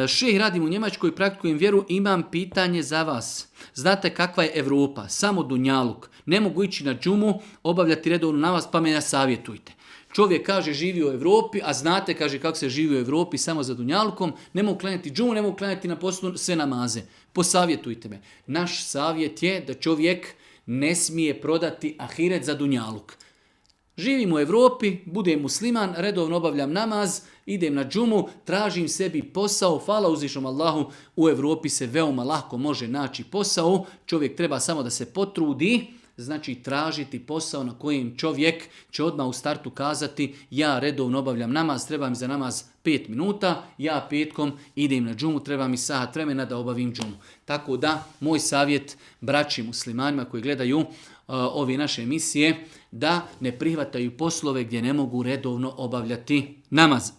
Šejh, radim u Njemačkoj, praktikujem vjeru, imam pitanje za vas. Znate kakva je Europa? Samo dunjaluk. Ne mogu ići na džumu, obavljati redovno namaz, pa me savjetujte. Čovjek kaže živi u Europi, a znate, kaže, kako se živi u Europi samo za dunjalukom, ne mogu klanjati džumu, ne mogu klanjati na poslu sve namaze. Posavjetujte me. Naš savjet je da čovjek ne smije prodati ahiret za dunjaluk. Živim u Europi, budem musliman, redovno obavljam namaz, idem na džumu, tražim sebi posao, hvala uzvišnom Allahu, u Europi se veoma lako može naći posao, čovjek treba samo da se potrudi, znači tražiti posao na kojem čovjek će odmah u startu kazati ja redovno obavljam namaz, treba mi za namaz 5 minuta, ja petkom idem na džumu, treba mi sat vremena da obavim džumu. Tako da, moj savjet braći muslimanima koji gledaju ove naše emisije, da ne prihvataju poslove gdje ne mogu redovno obavljati namaz.